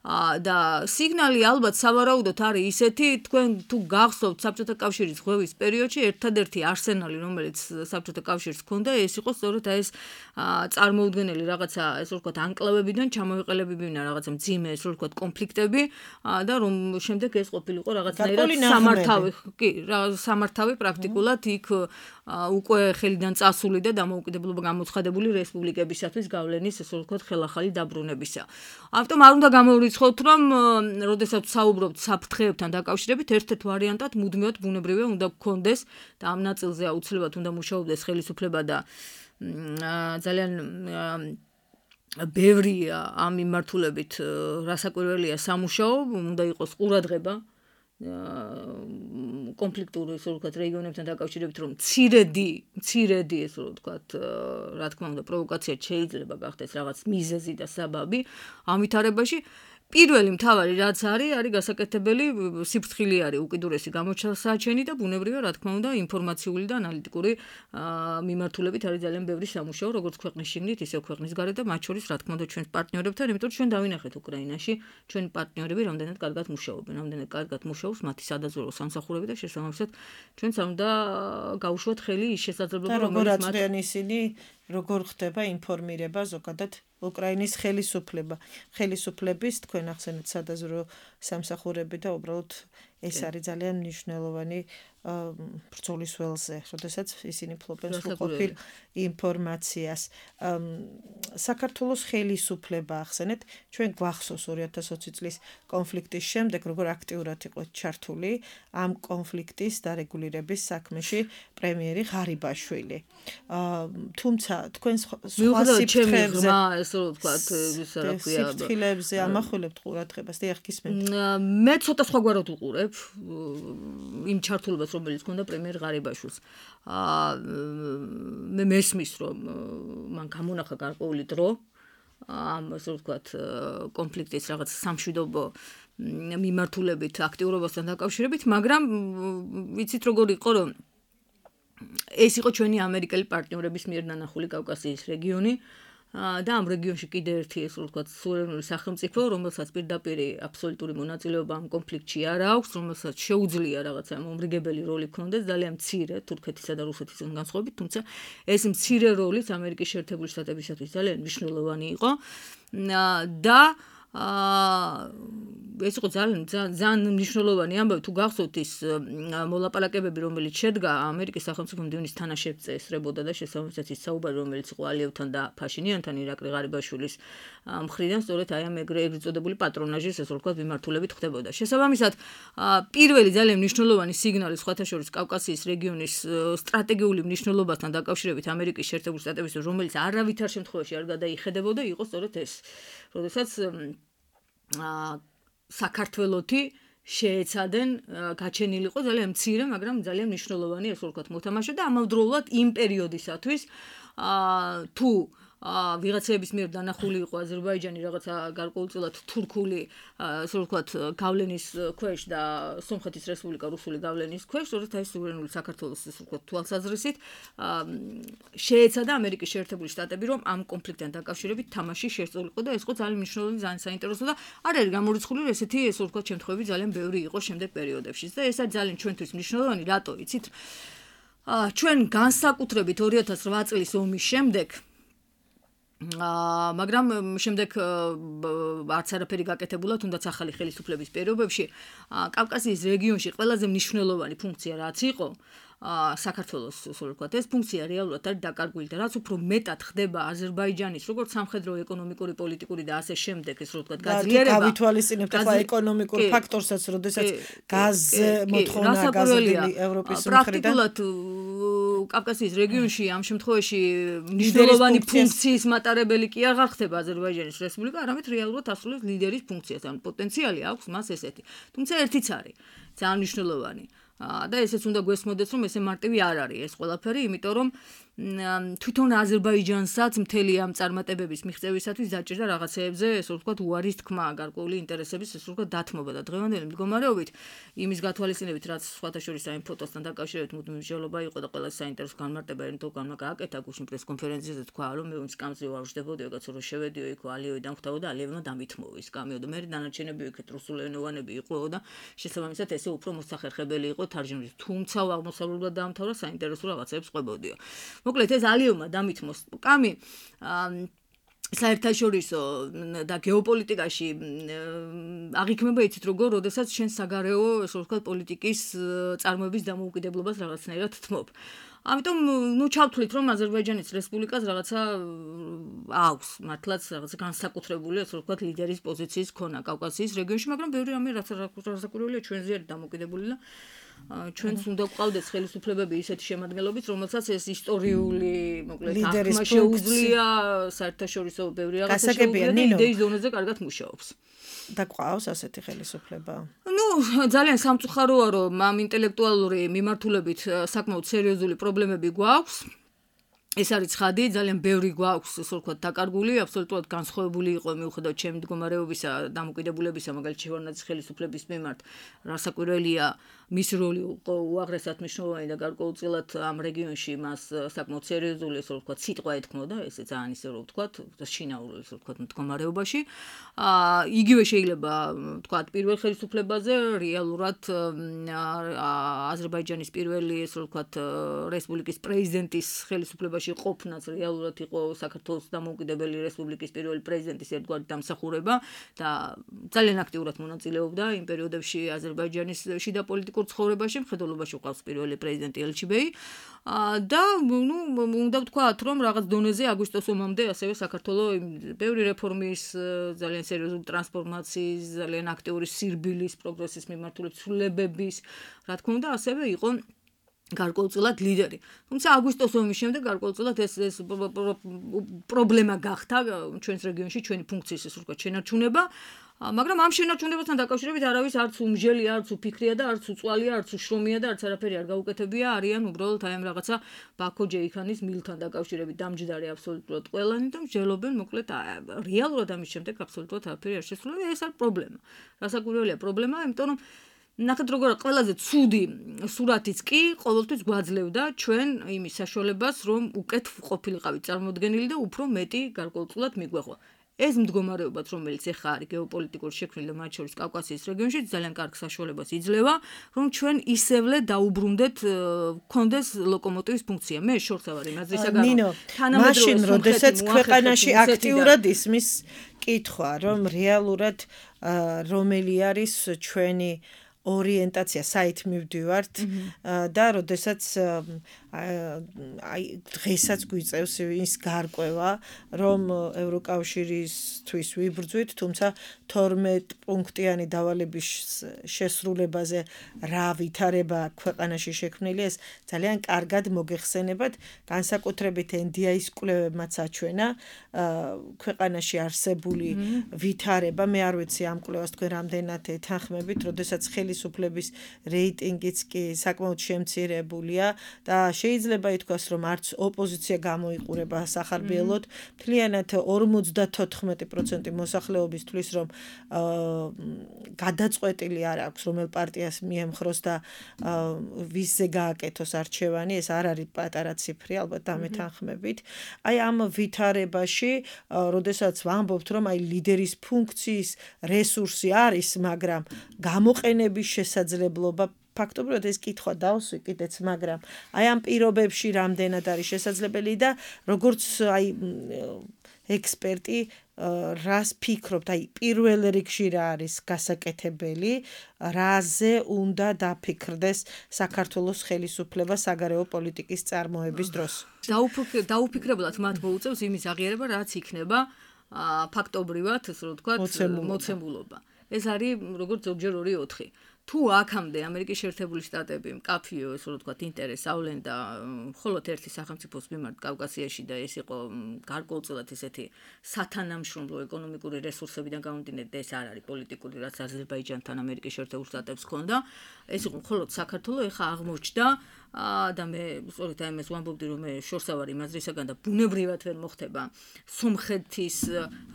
და სიგნალი ალბათ სავარაუდოდ არის ისეთი, თქვენ თუ გახსოვთ საბჭოთა კავშირის ღვევის პერიოდში ერთადერთი არსენალი, რომელიც საბჭოთა კავშირს ჰქონდა, ეს იყო სწორედ ეს წარმოუდგენელი რაღაცა, ესე ვთქვათ, ანკლავებიდან ჩამოეყელებინა რაღაცა მძიმე, ესე ვთქვათ, კონფლიქტები და რომ შემდეგ ეს ყოფილიყო რაღაცნაირად სამართავი, კი, სამართავი პრაქტიკულად იქ უკვე ხელიდან წასული და დამოუკიდებლობა გამოცხადებული რესპუბლიკებისათვის გავლენის, ესე ვთქვათ, ხელახალი დაბრუნებისა. ამიტომ არ უნდა გამოვიწყოთ, რომ როდესაც საუბრობთ საფრთხეებთან დაკავშირებით, ერთ-ერთ ვარიანტად მუდმივად ბუნებრივია უნდა გქონდეს და ამ ნაწილზე აუცილებლად უნდა მუშაობდეს ხელისუფლება და ძალიან ბევრი ამ მიმართულებით რასაკვირველია სამუშაო, უნდა იყოს ყურადღება კონფლიქტური ისე ვთქვათ რეგიონებთან დაკავშირებით, რომ მცირედი ესე ვთქვათ, რა თქმა უნდა, პროვოკაცია შეიძლება გახდეს რაღაც მიზეზი და საბაბი ამ ვითარებაში. პირველი მთავარი რაც არის გასაკეთებელი სიფრთხილე არის უკიდურესი გამოჩენილი და ბუნებრივია, რა თქმა უნდა, ინფორმაციული და ანალიტიკური მიმართულებით არის ძალიან ბევრი სამუშაო, როგორც ქვეყნის შიგნით, ისე ქვეყნის გარეთ და მათ შორის, რა თქმა უნდა, ჩვენს პარტნიორებთან, იმიტომ რომ ჩვენ დავინახეთ უკრაინაში, ჩვენი პარტნიორები რამდენად კარგად მუშაობენ, რამდენად კარგად მუშაობს მათი სადაზვერვო სამსახურები და შესაბამისად ჩვენც არ უნდა გაუშვათ ხელი ის შესაძლებლობა, რომელიც მათ ისინი როგორ ხდება ინფორმირება ზოგადად უკრაინის ხელისუფლების თქვენ ახსენეთ სადაზვერვო სამსახურები და უბრალოდ ეს არის ძალიან მნიშვნელოვანი ბრძოლის ველზე, როდესაც ისინი ფლობენ სრულყოფილ ინფორმაციას. საქართველოს ხელისუფლება ახსენეთ, ჩვენ გვახსოვს 2020 წლის კონფლიქტის შემდეგ, როგორ აქტიურად იყო ჩართული ამ კონფლიქტის დარეგულირების საქმეში პრემიერი ღარიბაშვილი. თუმცა თქვენ სხვა სიფრთხილებზე, ესე ვთქვათ, ის რა ქვია, სიფრთხილებზე ამახვილებთ ყურადღებას, დიახ, გისმენთ. მე ცოტა სხვაგვარად უყურებ იმ ჩართულობას, რომელიც ქონდა პრემიერ ღარიბაშვილს. მე მესმის, რომ მან გამონახა გარკვეული დრო ამ ასე ვთქვათ კონფლიქტის რაღაც სამშვიდობო მიმართულებით აქტიურობასთან დაკავშირებით, მაგრამ ვიცით როგორ იყო, რომ ეს იყო ჩვენი ამერიკელი პარტნიორების მიერ ნანახული კავკასიის რეგიონი და ამ რეგიონში კიდე ერთი ეს ვთქვათ სუვერენული სახელმწიფო, რომელსაც პირდაპირ აბსოლუტური მონაწილეობა ამ კონფლიქტში არ აქვს, რომელსაც შეუძლია რაღაცა მომრიგებელი როლი ქონდეს, ძალიან მცირე თურქეთისა და რუსეთისგან განსხვავებით, თუმცა ეს მცირე როლიც ამერიკის შეერთებული შტატებისათვის ძალიან მნიშვნელოვანი იყო და ეს იყო ძალიან მნიშვნელოვანი ამბავი, თუ გახსოვთ ის მოლაპარაკებები, რომელიც შედგა ამერიკის სახელმწიფო მდივნის თანაშემწე ესწრებოდა და შესაბამისად ის საუბარი, რომელიც იყო ალიევთან და ფაშინიანთან, ირაკლი ღარიბაშვილის მხრიდან, სწორედ აი ამ ეგრეთ წოდებული პატრონაჟის ესე ვთქვათ მიმართულებით ხდებოდა. შესაბამისად, პირველი ძალიან მნიშვნელოვანი სიგნალი სხვათა შორის კავკასიის რეგიონის სტრატეგიული მნიშვნელობასთან დაკავშირებით ამერიკის შეერთებული შტატების, რომელიც არავითარ შემთხვევაში არ გადაიხედებოდა, იყო სწორედ ეს. როდესაც საქართველოთი შეეცადენ გაჩენილიყო ძალიან მცირე, მაგრამ ძალიან მნიშვნელოვანი ესე ვთქვათ მოთამაშე და ამავდროულად იმ პერიოდისათვის თუ ვიღაცების მიერ დანახული იყო აზერბაიჯანი რაღაცა გარკვეულწილად თურქული ასე ვთქვათ გავლენის ქვეშ და სომხეთის რესპუბლიკა რუსული გავლენის ქვეშ, სწორედ აი სუვერენული საქართველოს ასე ვთქვათ თვალსაზრისით შეეცადა ამერიკის შეერთებული შტატები, რომ ამ კონფლიქტთან დაკავშირებით თამაში შესწავლიყო და ეს იყო ძალიან მნიშვნელოვანი, ძალიან საინტერესო და არ არის გამორიცხული, რომ ესეთი ასე ვთქვათ შემთხვევები ძალიან ბევრი იყო შემდეგ პერიოდებში და ეს არის ძალიან ჩვენთვის მნიშვნელოვანი, რატო იცით? ჩვენ განსაკუთრებით 2008 წლის ომის შემდეგ მაგრამ შემდეგ არც არაფერი გაკეთებულა, თუნდაც ახალი ხელისუფლების პირობებში კავკასიის რეგიონში ყველაზე მნიშვნელოვანი ფუნქცია რაც იყო საქართველოს ასე ვთქვათ, ეს ფუნქცია რეალურად არის დაკარგვილი და რაც უფრო მეტად ხდება აზერბაიჯანის როგორც სამხედრო, ეკონომიკური, პოლიტიკური და ასე შემდეგ, ეს ვთქვათ, გაძლიერება. გავითვალისწინებთ ახლა ეკონომიკურ ფაქტორსაც, როდესაც გაზ მოთხოვნა გაზრდილი ევროპის მხრიდან. პრაქტიკულად კავკასიის რეგიონში ამ შემთხვევაში მნიშვნელოვანი ფუნქციის მატარებელი კი აღარ ხდება აზერბაიჯანის რესპუბლიკა, არამედ რეალურად ასრულებს ლიდერის ფუნქციას, ან პოტენციალი აქვს მას ესეთი. თუმცა ერთიც არის ძალიან მნიშვნელოვანი. და ესეც უნდა გვესმოდეს, რომ ესე მარტივი არ არის ეს ყველაფერი, იმიტომ რომ თვითონ აზერბაიჯანსაც მთელი ამ წარმატებების მიღწევისათვის დაჭირდა რაღაცეებზე, ესე ვთქვათ, უარის თქმა, გარკვეული ინტერესების, ესე ვთქვათ, დათმობა და დღევანდელი მდგომარეობით იმის გათვალისწინებით, რაც სხვათა შორის აი ფოტოსთან დაკავშირებით მუდმივი მსჯელობა იყო და ყველა საინტერესო განმარტება ერნდოგანმა გააკეთა გუშინ პრესკონფერენციაზე თქვა, რომ მე ის კამზე ვარ ვждებოდი, ეგაც რომ შევედიო იქ ალიევი დამხვდაო და ალიევმა დამითმოვა ის კამიო და მე დანარჩენები იქეთ რუსულენოვანები იყო და შესაბამისად ესე უფრო მოსახერხებელი იყო თარჯიმის, თუმცა აღმოსავლურად დაამთავრა საინტერესო რაღაცებს ყვებოდიო. მოკლედ ეს ალიევმა დამითმოს კამი საერთაშორისო და გეოპოლიტიკაში აღიქმება იცით როგორ, როდესაც შენ საგარეო ესე ვთქვათ პოლიტიკის წარმოების დამოუკიდებლობას რაღაცნაირად თმობ. ამიტომ ჩავთვლით, რომ აზერბაიჯანის რესპუბლიკას რაღაცა აქვს მართლაც რაღაცა განსაკუთრებული ასე ვთქვათ ლიდერის პოზიციის ქონა კავკასიის რეგიონში, მაგრამ ბევრი რამე რაც რასაკურველია ჩვენზე არის დამოკიდებული და ჩვენს უნდა გვყავდეს ხელისუფლებები ისეთი შემადგენლობით, რომელსაც ეს ისტორიული, მოკლედ, აღქმა შეუძლია საერთაშორისო ბევრი რაღაცა შეუძლია და იდეის დონეზე კარგად მუშაობს. და გვყავს ასეთი ხელისუფლება? ძალიან სამწუხაროა, რომ ამ ინტელექტუალური მიმართულებით საკმაოდ სერიოზული პრობლემები გვაქვს. ეს არის ცხადი, ძალიან ბევრი გვაქვს, ასე ვთქვათ, დაკარგული, აბსოლუტურად განსხვავებული იყო მიუხედავად ჩემი მდგომარეობისა, დამოკიდებულებისა, მაგალითად შევარდნაძის ხელისუფლების მიმართ, რასაკვირველია, მის როლი იყო უაღრესად მნიშვნელოვანი და გარკვეულწილად ამ რეგიონში მას საკმაოდ სერიოზული, ასე ვთქვათ, სიტყვა ეთქმოდა, ესე ძალიან ისე რომ ვთქვათ, შინაურ, ასე ვთქვათ, მდგომარეობაში. იგივე შეიძლება ვთქვათ, პირველ ხელისუფლებაზე რეალურად აზერბაიჯანის პირველი, ასე ვთქვათ, რესპუბლიკის პრეზიდენტის ხელისუფლება ხელისუფლებაში ყოფნაც რეალურად იყო საქართველოს დამოუკიდებელი რესპუბლიკის პირველი პრეზიდენტის ერთგვარი დამსახურება და ძალიან აქტიურად მონაწილეობდა იმ პერიოდებში აზერბაიჯანის შიდა პოლიტიკურ ცხოვრებაში, მხედველობაში ყავს პირველი პრეზიდენტი ელჩიბეი და უნდა ვთქვათ, რომ რაღაც დონეზე აგვისტოს ომამდე ასევე საქართველოს ბევრი რეფორმის, ძალიან სერიოზული ტრანსფორმაციის, ძალიან აქტიური სირბილის, პროგრესის მიმართულების ცვლილებების, რა თქმა უნდა, ასევე იყო გარკვეულწილად ლიდერი. თუმცა აგვისტოს ომის შემდეგ გარკვეულწილად ეს პრობლემა გახდა ჩვენს რეგიონში, ჩვენი ფუნქციის ეს ვთქვათ შენარჩუნება. მაგრამ ამ შენარჩუნებასთან დაკავშირებით არავის არც უმჟელი, არც უფიქრია და არც უწვალია, არც უშრომია და არც არაფერი არ გაუკეთებია, არიან უბრალოდ აი ამ რაღაცა ბაქო ჯეიქანის მილთან დაკავშირებით დამჯდარი აბსოლუტურად ყველანი და მსჯელობენ მოკლედ რეალურად ამის შემდეგ აბსოლუტურად არაფერი არ შესრულა და ეს არის პრობლემა. რასაკვირველია პრობლემა, იმიტომ რომ ნახეთ როგორ ყველაზე ცუდი სურათიც კი ყოველთვის გვაძლევდა ჩვენ იმის საშუალებას, რომ უკეთ ყოფილიყავით წარმოდგენილი და უფრო მეტი გარკვეულწილად მიგვეღო. ეს მდგომარეობაც, რომელიც ახლა არის გეოპოლიტიკური შექმნილი და მათ შორის კავკასიის რეგიონში, ძალიან კარგ საშუალებას იძლევა, რომ ჩვენ ისევლე დაუბრუნდეთ გქონდეს ლოკომოტივის ფუნქცია. მე შორს ავარ იმაზრისაგან, მაშინ, როდესაც ქვეყანაში აქტიურად ისმის კითხვა, რომ რეალურად რომელი არის ჩვენი ორიენტაცია, საით მივდივართ და როდესაც აი დღესაც გვიწევს ის გარკვევა, რომ ევროკავშირისთვის ვიბრძვით, თუმცა 12 პუნქტიანი დავალების შესრულებაზე რა ვითარება ქვეყანაში შექმნილი, ეს ძალიან კარგად მოგეხსენებათ, განსაკუთრებით NDI-ის კვლევებმაც აჩვენა ქვეყანაში არსებული ვითარება. მე არ ვიცი ამ კვლევას თქვენ რამდენად ეთანხმებით, როდესაც ხელისუფლების რეიტინგიც კი საკმაოდ შემცირებულია და შეიძლება ითქვას, რომ არც ოპოზიცია გამოიყურება სახარბიელოდ, მთლიანად 54% მოსახლეობის თვლის, რომ გადაწყვეტილი არ აქვს, რომელ პარტიას მიემხროს და ვისზე გააკეთოს არჩევანი, ეს არ არის პატარა ციფრი, ალბათ ამეთანხმებით. აი ამ ვითარებაში, როდესაც ვამბობთ, რომ აი ლიდერის ფუნქციის რესურსი არის, მაგრამ გამოყენების შესაძლებლობა ფაქტობრივად ეს კითხვა დავსვი კიდეც, მაგრამ აი ამ პირობებში რამდენად არის შესაძლებელი და როგორც აი ექსპერტი რას ფიქრობთ, აი პირველ რიგში რა არის გასაკეთებელი, რაზე უნდა დაფიქრდეს საქართველოს ხელისუფლება საგარეო პოლიტიკის წარმოების დროს. დაუფიქრებლად მათ მოუწევს იმის აღიარება, რაც იქნება ფაქტობრივად, ასე რომ ვთქვათ, მოცემულობა. ეს არის როგორც ზოგჯერ 2-4. თუ აქამდე ამერიკის შეერთებული შტატები მკაფიო, ესე რომ ვთქვათ, ინტერესს ავლენ და მხოლოდ ერთი სახელმწიფოს მიმართ კავკასიაში და ეს იყო გარკვეულწილად ესეთი სათანამშრომლო ეკონომიკური რესურსებიდან გამომდინარე და ეს არ არის პოლიტიკური, რაც აზერბაიჯანთან ამერიკის შეერთებულ შტატებს ჰქონდა, ეს იყო მხოლოდ საქართველოს, ეხა აღმოჩნდა და მე სწორედ ამას ვამბობდი, რომ მე შორს ავარ იმაზრისაგან და ბუნებრივად ვერ მოხდება სომხეთის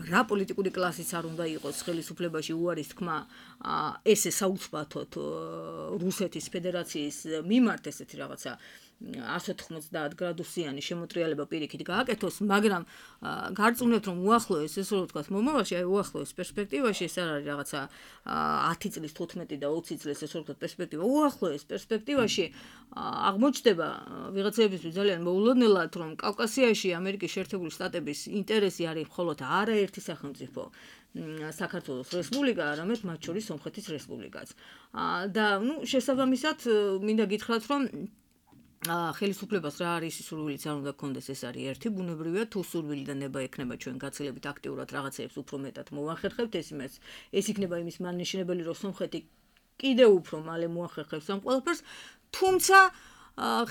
რა პოლიტიკური კლასიც არ უნდა იყოს ხელისუფლებაში უარის თქმა ესე საუცბათოდ რუსეთის ფედერაციის მიმართ ესეთი რაღაცა 190 გრადუსიანი შემოტრიალება პირიქით გააკეთოს, მაგრამ გარწმუნებთ, რომ უახლოეს, ესე რომ ვთქვათ, მომავალში, აი უახლოეს პერსპექტივაში ეს არ არის რაღაცა 10 წლის, 15 და 20 წლის ესე რომ ვთქვათ პერსპექტივა, უახლოეს პერსპექტივაში აღმოჩნდება ვიღაცებისთვის ძალიან მოულოდნელად, რომ კავკასიაში ამერიკის შეერთებული შტატების ინტერესი არის მხოლოდ არაერთი სახელმწიფო საქართველოს რესპუბლიკა, არამედ მათ შორის სომხეთის რესპუბლიკაც. და შესაბამისად მინდა გითხრათ, რომ ხელისუფლებას რა არის სურვილიც არ უნდა გქონდეს, ეს არის ერთი, ბუნებრივია, თუ სურვილი და ნება ექნება ჩვენ გაცილებით აქტიურად რაღაცეებს უფრო მეტად მოვახერხებთ, ეს იქნება იმის მანიშნებელი, რომ სომხეთი კიდევ უფრო მალე მოახერხებს ამ ყველაფერს, თუმცა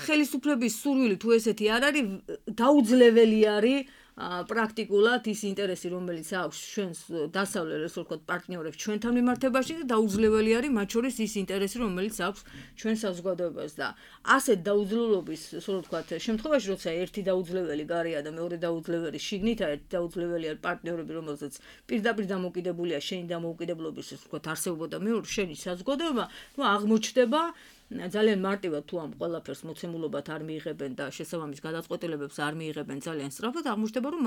ხელისუფლების სურვილი თუ ესეთი არ არის, დაუძლეველი არის პრაქტიკულად ის ინტერესი, რომელიც აქვს ჩვენს დასავლელ ესე ვთქვათ პარტნიორებს ჩვენთან მიმართებაში და დაუძლეველი არის მათ შორის ის ინტერესი, რომელიც აქვს ჩვენ საზოგადოებას და ასეთ დაუძლებლობის, ესე ვთქვათ, შემთხვევაში, როცა ერთი დაუძლეველი გარია და მეორე დაუძლეველი შიგნით, ერთი დაუძლეველი არის პარტნიორები, რომელზეც პირდაპირ დამოკიდებულია შენი დამოუკიდებლობის, ესე ვთქვათ, არსებობა და მეორე შენი საზოგადოება, ნუ აღმოჩნდება ძალიან მარტივად თუ ამ ყველაფერს მოცემულობად არ მიიღებენ და შესაბამის გადაწყვეტილებებს არ მიიღებენ ძალიან სწრაფად, აღმოჩნდება, რომ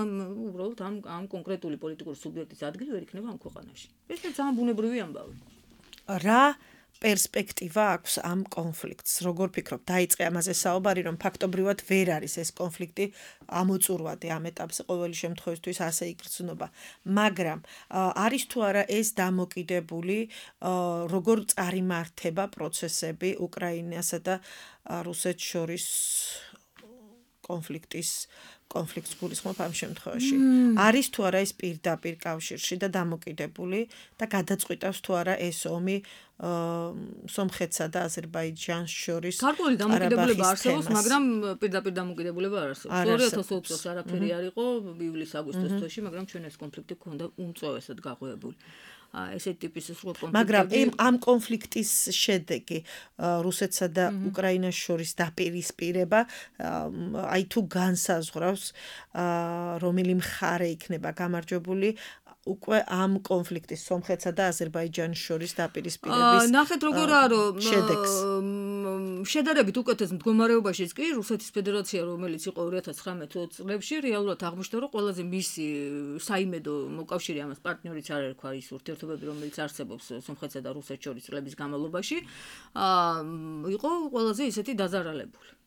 უბრალოდ ამ კონკრეტული პოლიტიკური სუბიექტის ადგილი ვერ იქნება ამ ქვეყანაში. ეს ძალიან ბუნებრივი ამბავი. რა პერსპექტივა აქვს ამ კონფლიქტს. როგორ ფიქრობ, დაიწყე ამაზე საუბარი, რომ ფაქტობრივად ვერ არის ეს კონფლიქტი ამოწურვადი ამ ეტაპზე ყოველი შემთხვევისთვის ასე იგრძნობა. მაგრამ არის თუ არა ეს დამოკიდებული როგორ წარიმართება პროცესები უკრაინასა და რუსეთს შორის კონფლიქტს გულისხმობ ამ შემთხვევაში. არის თუ არა ეს პირდაპირ კავშირში და დამოკიდებული და გადაწყვიტავს თუ არა ეს ომი სომხეთსა და აზერბაიჯანს შორის. გარკვეული დამოკიდებულება არსებობს, მაგრამ პირდაპირ დამოკიდებულება არ არსებობს. 2020 წელს არაფერი არ იყო ივლის-აგვისტოს თვეში, მაგრამ ჩვენ ეს კონფლიქტი გქონდა უმწვევესად გაღვივებული. ესეთი ტიპის კონფლიქტები. მაგრამ ამ კონფლიქტის შედეგი რუსეთსა და უკრაინას შორის დაპირისპირება აი თუ განსაზღვრავს რომელი მხარე იქნება გამარჯვებული უკვე ამ კონფლიქტის სომხეთსა და აზერბაიჯანის შორის დაპირისპირების ნახეთ როგორაა რომ შედარებით უკეთეს მდგომარეობაშიც კი რუსეთის ფედერაცია რომელიც იყო 2019 წლებში რეალურად აღმოჩნდა რომ ყველაზე მისი საიმედო მოკავშირე ამას პარტნიორიც არ ერქვა ის ურთიერთობები რომელიც არსებობს სომხეთსა და რუსეთს შორის წლების განმავლობაში იყო ყველაზე ისეთი დაზარალებული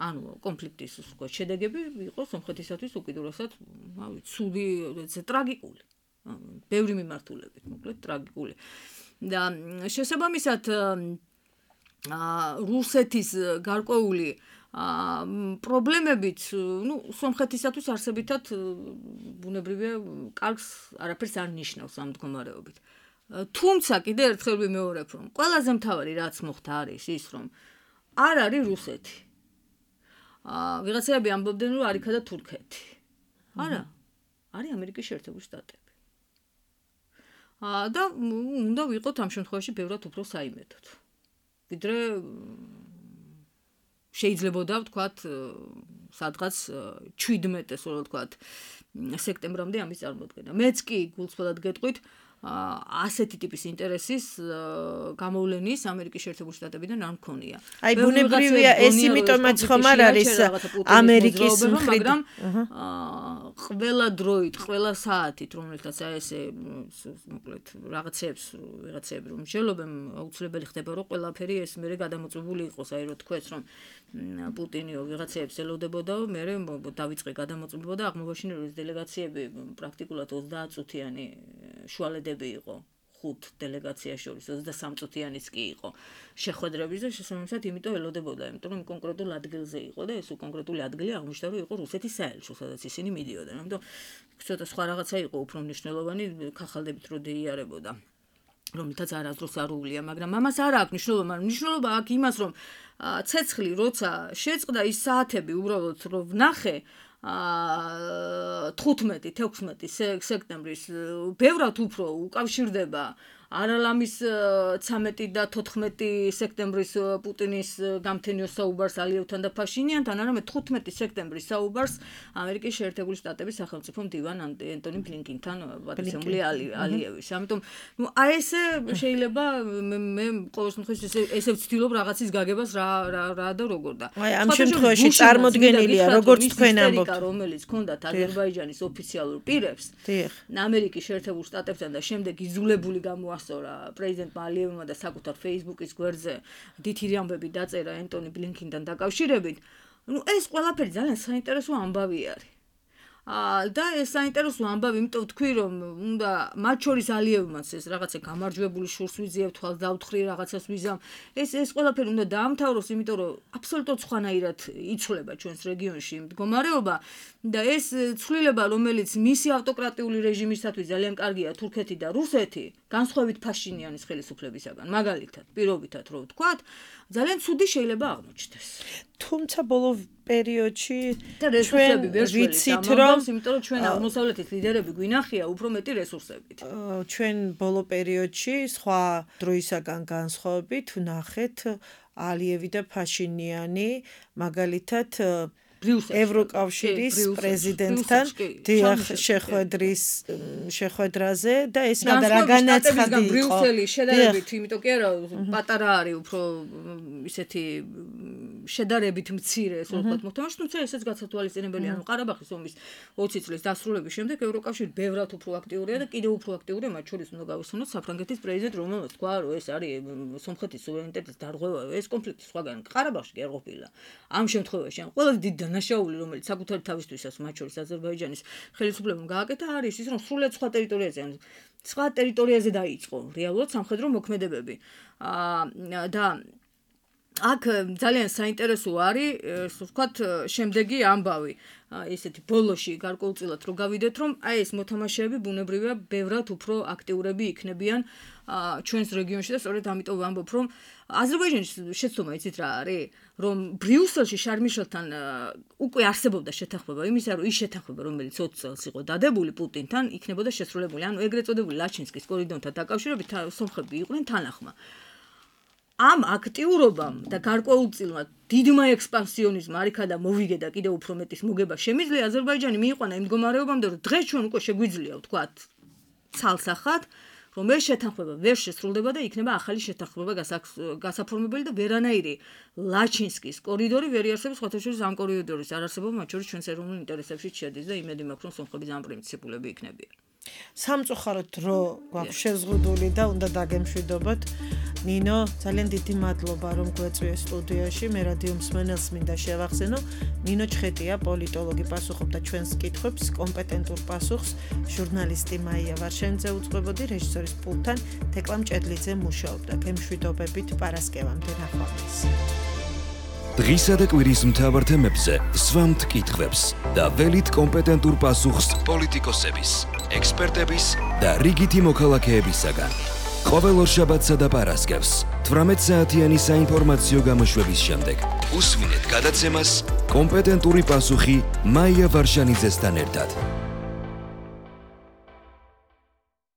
ანუ კონფლიქტის შედეგები იყო სომხეთისათვის უკიდურესად ცუდი ტრაგიკული ბევრი მიმართულებით მოკლედ ტრაგიკული და შესაბამისად რუსეთის გარკვეული პრობლემებით სომხეთისათვის არსებითად ბუნებრივია კარგს არაფერს არ ნიშნავს ამ მდგომარეობით თუმცა კიდევ ერთხელ ვიმეორებ რომ ყველაზე მთავარი რაც მოხდა არის ის რომ არ არის რუსეთი ვიღაცები ამბობდნენ რომ არ იქადა თურქეთი. არა, არის ამერიკის შეერთებული შტატები. და უნდა ვიყოთ ამ შემთხვევაში ბევრად უფრო საიმედოდ. ვიდრე შეიძლებოდა ვთქვათ სადღაც 17-ს რო ვთქვათ სექტემბრამდე ამის წარმოქმნა. მეც კი გულწრფელად გეტყვით ასეთი ტიპის ინტერესის გამოვლენის ამერიკის შეერთებული შტატებიდან არ მქონია. აი ბუნებრივია ეს იმიტომაც ხომ არ არის ამერიკის მაგრამ ყველა დროით, ყველა საათით რომელთაც ესე მოკლედ ვიღაცები რომ შეელობენ აუცილებელი ხდება რომ ყველაფერი ეს მერე გადამოწმებული იყოს აი რო თქვეს რომ პუტინიო ვიღაცებს ელოდებოდაო მერე დავიწყე გადამოწმება და აღმოჩნდა რომ ეს დელეგაციები პრაქტიკულად 30 წუთიანი შუალედები იყო 5 დელეგაცია შორის 23 წუთიანიც კი იყო შეხვედრების და შესაბამისად იმიტომ ელოდებოდა იმიტომ რომ კონკრეტულ ადგილზე იყო და ეს კონკრეტული ადგილი აღმოჩნდა რომ იყო რუსეთის საელჩო სადაც ისინი მიდიოდნენ ამიტომ ცოტა სხვა რაღაცა იყო უფრო მნიშვნელოვანი ხახალდებით რო დაიარებოდა რომელთაც არასდროს არ უვლია მაგრამ ამას არ აქვს მნიშვნელობა მაგრამ მნიშვნელობა აქვს იმას რომ ცეცხლი როცა შეწყდა ის საათები უბრალოდ რომ ვნახე 15-16 სექტემბრის ბევრად უფრო უკავშირდება არალამის 13 და 14 სექტემბრის პუტინის გამთენიო საუბარს ალიევთან და ფაშინიანთან, არამედ 15 სექტემბრის საუბარს ამერიკის შეერთებული შტატების სახელმწიფო მდივან ანტონი ბლინკენთან პატრიციული ალიევის. ამიტომ აი ესე შეიძლება მე ყოველ შემთხვევაში ესე ვცდილობ რაღაცის გაგებას რა და როგორ და. აი ამ შემთხვევაში წარმოდგენილია როგორც თქვენ ამბობთ, რომელიც ჰქონდათ აზერბაიჯანის ოფიციალურ პირებს, ამერიკის შეერთებულ შტატებთან და შემდეგ იძულებული გამოასწორა პრეზიდენტმა ალიევმა და საკუთარ Facebook-ის გვერდზე დიდი ამბები დაწერა ანტონი ბლინკენთან დაკავშირებით. ეს ყველაფერი ძალიან საინტერესო ამბავი არის. და ეს საინტერესო ამბავი, იმიტომ ვთქვი, რომ უნდა მათ შორის ალიევმაც ეს რაღაცა გამარჯვებული შურს ვიძიებ, თვალს დავთხრი, რაღაცას ვიზამ. ეს ყველაფერი უნდა დაამთავროს, იმიტომ რომ აბსოლუტურად სხვანაირად იცვლება ჩვენს რეგიონში მდგომარეობა და ეს ცვლილება, რომელიც მისი ავტოკრატიული რეჟიმისათვის ძალიან კარგია თურქეთი და რუსეთი, განსხვავებით ფაშინიანის ხელისუფლებისაგან, მაგალითად, პირობითად რო ვთქვათ, ძალიან ცუდი შეიძლება აღმოჩნდეს. თუმცა ბოლო პერიოდში ჩვენ ვიცით რომ იმიტომ რომ ჩვენ აღმოსავლეთის ლიდერები გვინახია უფრო მეტი რესურსებით. ჩვენ ბოლო პერიოდში სხვა დროისაგან განსხვავებით ვნახეთ ალიევი და ფაშინიანი მაგალითად ევროკავშირის პრეზიდენტთან დიახ შეხვედრაზე და ეს რა განაცხადი იყო ბრიუსელი შედარებით იმიტომ კი არა პატარა არის უფრო ისეთი შედარებით მცირე ასე ვთქვათ მოთამაშე თუმცა ესეც გასათვალისწინებელი ანუ ყარაბაღის ომის 20 წლის დასრულების შემდეგ ევროკავშირი ბევრად უფრო აქტიურია და კიდევ უფრო აქტიურია მათ შორის უნდა გავიხსენოთ საფრანგეთის პრეზიდენტ რომელმაც თქვა რომ ეს არის სომხეთის სუვერენიტეტის დარღვევა ეს კონფლიქტი სხვაგან ყარაბაღში კი არ ყოფილა ამ შემთხვევაში ან ყველაზე დიდი დანაშაული რომელიც საკუთარი თავისთვისაც მათ შორის აზერბაიჯანის ხელისუფლებამ გააკეთა არის ის რომ სრულად სხვა ტერიტორიაზე დაიწყო რეალურად სამხედრო მოქმედებები და აქ ძალიან საინტერესო არის ვთქვათ შემდეგი ამბავი ესეთი ბოლოში გარკვეულწილად რო გავიდეთ რომ აი ეს მოთამაშეები ბუნებრივია ბევრად უფრო აქტიურები იქნებიან ჩვენს რეგიონში და სწორედ ამიტომ ვამბობ რომ აზერბაიჯანის შეცდომა იცით რა არის რომ ბრიუსელში შარმიშელთან უკვე არსებობდა შეთანხმება იმისა რომ ის შეთანხმება რომელიც 20 წელს იყო დადებული პუტინთან იქნებოდა შესრულებული ანუ ეგრეთ წოდებული ლაჩინსკის კორიდორთან დაკავშირებით სომხები იყვნენ თანახმა ამ აქტიურობამ და გარკვეულწილად დიდმა ექსპანსიონიზმმა არიქა და მოვიგე და კიდევ უფრო მეტის მოგება შემიძლია აზერბაიჯანი მიიყვანა იმ მდგომარეობამდე რომ დღეს ჩვენ უკვე შეგვიძლია ვთქვათ ცალსახად რომ ეს შეთანხმება ვერ შესრულდება და იქნება ახალი შეთანხმება გასაფორმებელი და ვერანაირი ლაჩინსკის კორიდორი ვერ იარსებებს სხვათა შორის ამ კორიდორის არარსებობა მათ შორის ჩვენს ეროვნულ ინტერესებში შედის და იმედი მაქვს რომ სომხები ძალიან პრინციპულები იქნებიან სამწუხაროდ დრო გვაქვს შეზღუდული და უნდა დაგემშვიდობოთ ნინო ძალიან დიდი მადლობა რომ გვეწვიეს სტუდიაში მე რადიო მსმენელს მინდა შევახსენო ნინო ჩხეტია პოლიტოლოგი პასუხობდა ჩვენს კითხვებს კომპეტენტურ პასუხს ჟურნალისტი მაია ვარშენიძე უძღვებოდი რეჟისორის პულტთან თეკლა მჭედლიძე მუშაობდა გემშვიდობებით პარასკევამდე ნახვამდის დღისა და კვირის მთავარ თემებზე სვამთ კითხვებს და ველით კომპეტენტურ პასუხს პოლიტიკოსების, ექსპერტების და რიგითი მოქალაქეებისაგან. ყოველ ორშაბათსა და პარასკევს 18 საათიანი საინფორმაციო გამოშვების შემდეგ უსმინეთ გადაცემას კომპეტენტური პასუხი მაია ვარშანიძესთან ერთად.